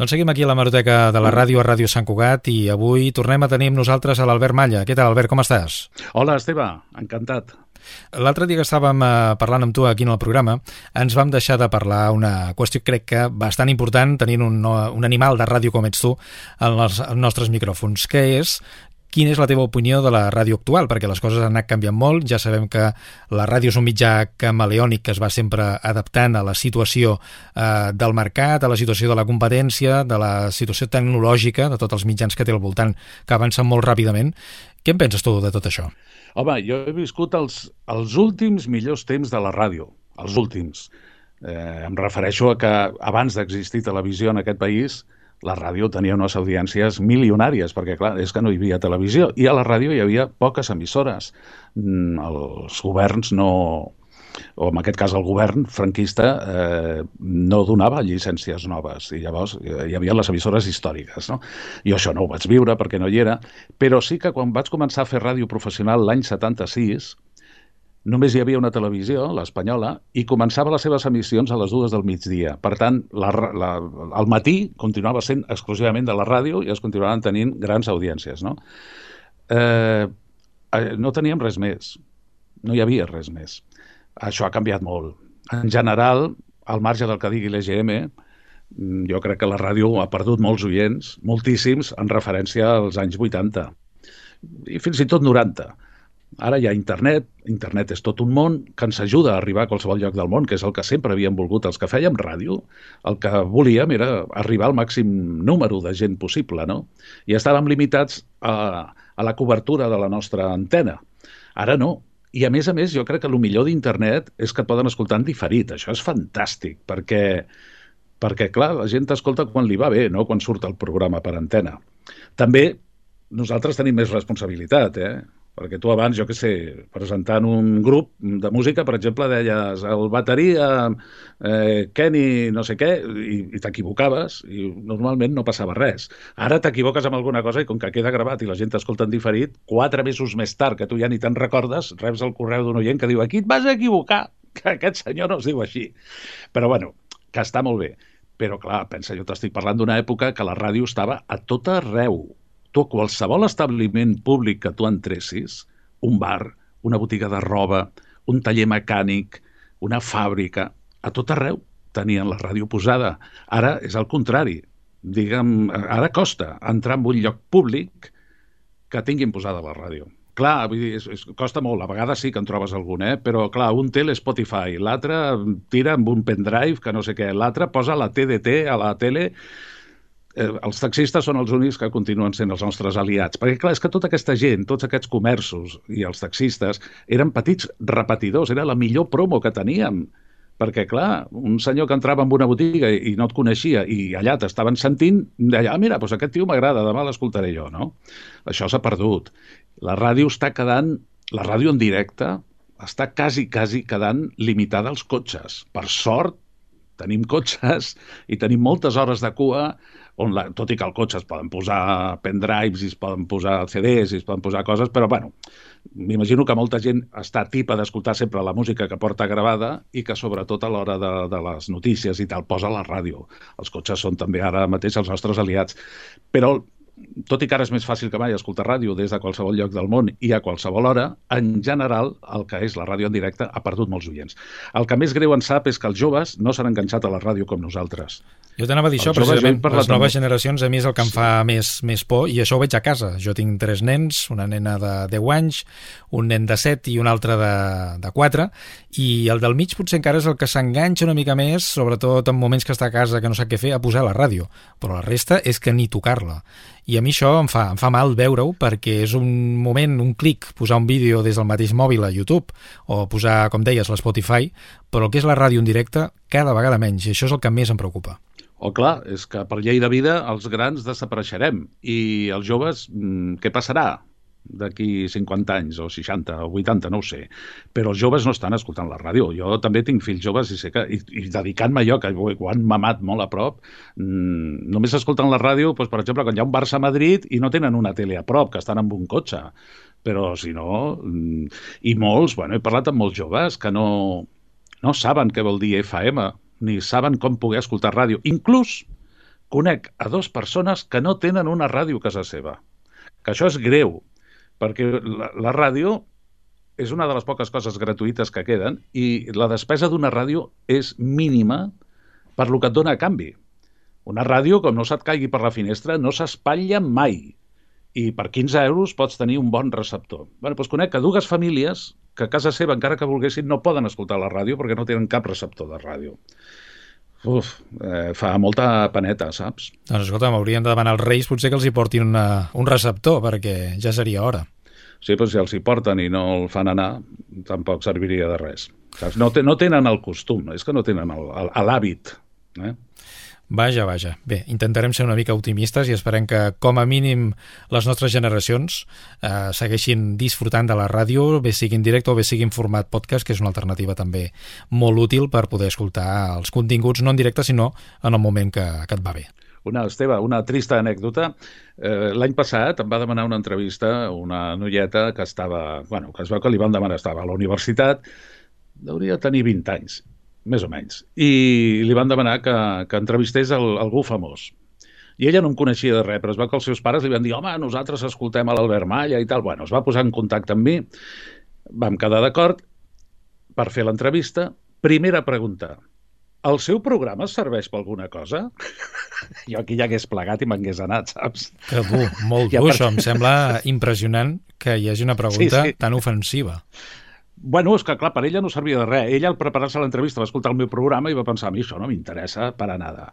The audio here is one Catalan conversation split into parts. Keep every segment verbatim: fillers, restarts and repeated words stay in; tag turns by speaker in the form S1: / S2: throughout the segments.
S1: Doncs seguim aquí a l'hemeroteca de la ràdio a Ràdio Sant Cugat i avui tornem a tenir amb nosaltres a l'Albert Malla. Què tal, Albert, com estàs?
S2: Hola, Esteve, encantat.
S1: L'altre dia que estàvem eh, parlant amb tu aquí en el programa, ens vam deixar de parlar una qüestió, crec que bastant important, tenint un, un animal de ràdio com ets tu en els nostres micròfons, que és... Quina és la teva opinió de la ràdio actual? Perquè les coses han anat canviant molt. Ja sabem que la ràdio és un mitjà camaleònic que es va sempre adaptant a la situació eh, del mercat, a la situació de la competència, de la situació tecnològica, de tots els mitjans que té al voltant, que avancen molt ràpidament. Què en penses tu de tot això?
S2: Home, jo he viscut els, els últims millors temps de la ràdio, els últims. Eh, em refereixo a que abans d'existir televisió en aquest país, la ràdio tenia unes audiències milionàries, perquè, clar, és que no hi havia televisió. I a la ràdio hi havia poques emissores. Els governs no... o en aquest cas el govern franquista eh, no donava llicències noves. I llavors hi havia les emissores històriques, no? Jo això no ho vaig viure perquè no hi era, però sí que quan vaig començar a fer ràdio professional l'any setanta-sis, només hi havia una televisió, l'espanyola, i començava les seves emissions a les dues del migdia. Per tant, la, la, el matí continuava sent exclusivament de la ràdio i es continuaven tenint grans audiències, no? Eh, no teníem res més. No hi havia res més. Això ha canviat molt. En general, al marge del que digui l'E G M, jo crec que la ràdio ha perdut molts oients, moltíssims, en referència als anys vuitanta. I fins i tot noranta. Ara hi ha internet, internet és tot un món que ens ajuda a arribar a qualsevol lloc del món, que és el que sempre havíem volgut els que fèiem ràdio. El que volíem era arribar al màxim número de gent possible, no? I estàvem limitats a, a la cobertura de la nostra antena. Ara no. I a més a més, jo crec que el millor d'internet és que et poden escoltar en diferit. Això és fantàstic, perquè, perquè clar, la gent t'escolta quan li va bé, no quan surt el programa per antena. També nosaltres tenim més responsabilitat, eh? Perquè tu abans, jo què sé, presentant un grup de música, per exemple, deies el bateria, eh, Kenny, no sé què, i, i t'equivocaves, i normalment no passava res. Ara t'equivoques amb alguna cosa i com que queda gravat i la gent t'escolta en diferit, quatre mesos més tard, que tu ja ni te'n recordes, reps el correu d'un oient que diu aquí et vas equivocar, que aquest senyor no es diu així. Però bueno, que està molt bé. Però clar, pensa, jo t'estic parlant d'una època que la ràdio estava a tot arreu. Tu, qualsevol establiment públic que tu entressis, un bar, una botiga de roba, un taller mecànic, una fàbrica, a tot arreu tenien la ràdio posada. Ara és el contrari. Digue'm, ara costa entrar en un lloc públic que tinguin posada la ràdio. Clar, vull dir, és, és, costa molt. A vegades sí que en trobes algun, eh? Però clar, un té l'Spotify, l'altre tira amb un pendrive, que no sé què, l'altre posa la T D T a la tele. Eh, els taxistes són els únics que continuen sent els nostres aliats. Perquè, clar, és que tota aquesta gent, tots aquests comerços i els taxistes eren petits repetidors, era la millor promo que teníem. Perquè, clar, un senyor que entrava en una botiga i no et coneixia i allà t'estaven sentint, deia, ah, mira, doncs aquest tio m'agrada, demà l'escoltaré jo, no? Això s'ha perdut. La ràdio està quedant, la ràdio en directe està quasi, quasi quedant limitada als cotxes. Per sort, tenim cotxes i tenim moltes hores de cua on, la, tot i que al cotxe es poden posar pendrives i es poden posar C Ds i es poden posar coses, però bueno, m'imagino que molta gent està tipa d'escoltar sempre la música que porta gravada i que sobretot a l'hora de, de les notícies i tal posa la ràdio. Els cotxes són també ara mateix els nostres aliats. Però tot i que ara és més fàcil que mai escoltar ràdio des de qualsevol lloc del món i a qualsevol hora, en general, el que és la ràdio en directe ha perdut molts oients. El que més greu en sap és que els joves no s'han enganxat a la ràdio com nosaltres.
S1: Jo t'anava a dir això, precisament, les noves generacions a mi és el que em fa més, més por, i això ho veig a casa. Jo tinc tres nens, una nena de deu anys, un nen de set i un altre de, de quatre, i el del mig potser encara és el que s'enganxa una mica més, sobretot en moments que està a casa que no sap què fer, a posar la ràdio. Però la resta és que ni tocar-la. I a mi això em fa, em fa mal veure-ho perquè és un moment, un clic, posar un vídeo des del mateix mòbil a YouTube o posar, com deies, l'Spotify, però el que és la ràdio en directe cada vegada menys, i això és el que més em preocupa.
S2: O clar, és que per llei de vida els grans desapareixerem i els joves, què passarà d'aquí cinquanta anys o seixanta o vuitanta, no ho sé, però els joves no estan escoltant la ràdio. Jo també tinc fills joves i sé que, i, i dedicant-me a allò, que ho han mamat molt a prop, mmm, només escolten la ràdio, doncs, per exemple, quan hi ha un Barça a Madrid i no tenen una tele a prop, que estan amb un cotxe, però si no... Mmm, i molts, bueno, he parlat amb molts joves que no, no saben què vol dir F M, ni saben com poder escoltar ràdio. Inclús conec a dues persones que no tenen una ràdio a casa seva. Que això és greu, perquè la, la ràdio és una de les poques coses gratuïtes que queden i la despesa d'una ràdio és mínima per lo que et dona a canvi. Una ràdio, com no se't caigui per la finestra, no s'espatlla mai. I per quinze euros pots tenir un bon receptor. Bé, doncs conec que dues famílies que a casa seva, encara que volguessin, no poden escoltar la ràdio perquè no tenen cap receptor de ràdio. Uf, eh, fa molta paneta, saps?
S1: Doncs escolta, m'haurien de demanar als Reis potser que els hi portin una, un receptor, perquè ja seria hora.
S2: Sí, però si els hi porten i no el fan anar, tampoc serviria de res. No, te, no tenen el costum, és que no tenen l'hàbit. Eh?
S1: Vaja, vaja. Bé, intentarem ser una mica optimistes i esperem que, com a mínim, les nostres generacions eh, segueixin disfrutant de la ràdio, bé sigui en directe o bé sigui en format podcast, que és una alternativa també molt útil per poder escoltar els continguts, no en directe, sinó en el moment que, que et va bé.
S2: Una, Esteve, una trista anècdota. Eh, L'any passat em va demanar una entrevista una noieta que estava, bueno, que es veu que li van demanar, estava a la universitat, hauria de tenir vint anys, més o menys, i li van demanar que, que entrevistés el, algú famós. I ella no em coneixia de res, però es veu que els seus pares li van dir home, nosaltres escoltem a l'Albert Malla i tal. Bueno, es va posar en contacte amb mi, vam quedar d'acord per fer l'entrevista. Primera pregunta, el seu programa serveix per alguna cosa? Jo aquí ja hagués plegat i m'hagués anat, saps?
S1: Que dur, molt dur, ja, això. Em sembla impressionant que hi hagi una pregunta sí, sí. tan ofensiva.
S2: Bueno, és que, clar, per ella no servia de res. Ella, al preparar-se l'entrevista, va escoltar el meu programa i va pensar, a mi això no m'interessa per a nada.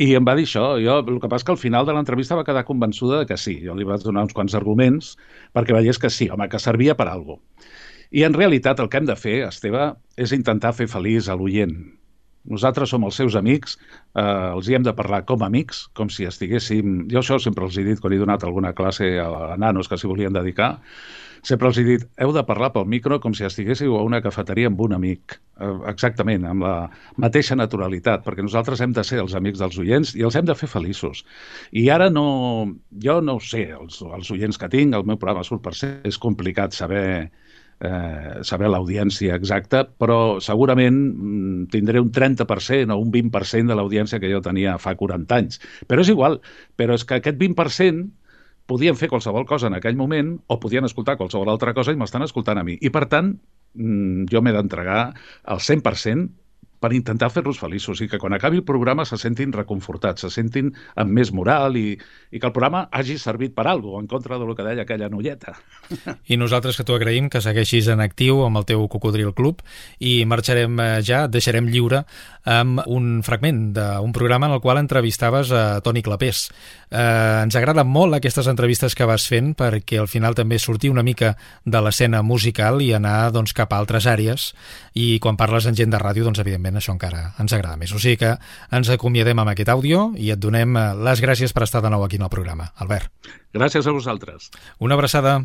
S2: I em va dir això. Jo, el que passa és que al final de l'entrevista va quedar convençuda de que sí. Jo li vaig donar uns quants arguments perquè veiés que sí, home, que servia per a alguna cosa. I en realitat el que hem de fer, Esteve, és intentar fer feliç a l'oient. Nosaltres som els seus amics, eh, els hi hem de parlar com a amics, com si estiguéssim... Jo això sempre els he dit quan he donat alguna classe a nanos que s'hi volien dedicar. Sempre els he dit, heu de parlar pel micro com si estiguéssiu a una cafeteria amb un amic. Eh, exactament, amb la mateixa naturalitat, perquè nosaltres hem de ser els amics dels oients i els hem de fer feliços. I ara no... Jo no ho sé, els, els oients que tinc, el meu programa surt per ser, és complicat saber... Eh, saber l'audiència exacta, però segurament mm, tindré un trenta per cent o un vint per cent de l'audiència que jo tenia fa quaranta anys. Però és igual, però és que aquest vint per cent podien fer qualsevol cosa en aquell moment o podien escoltar qualsevol altra cosa i m'estan escoltant a mi. I per tant, mm, jo m'he d'entregar al cent per cent per intentar fer-los feliços i que quan acabi el programa se sentin reconfortats, se sentin amb més moral i, i que el programa hagi servit per alguna cosa, en contra del que deia aquella noieta.
S1: I nosaltres que t'ho agraïm, que segueixis en actiu amb el teu Cocodril Club i marxarem ja, et deixarem lliure amb un fragment d'un programa en el qual entrevistaves a Toni Clapés. Eh, ens agraden molt aquestes entrevistes que vas fent perquè al final també sortir una mica de l'escena musical i anar doncs, cap a altres àrees i quan parles amb gent de ràdio, doncs evidentment això encara ens agrada més. O sigui que ens acomiadem amb aquest àudio i et donem les gràcies per estar de nou aquí en el programa. Albert.
S2: Gràcies a vosaltres.
S1: Una abraçada.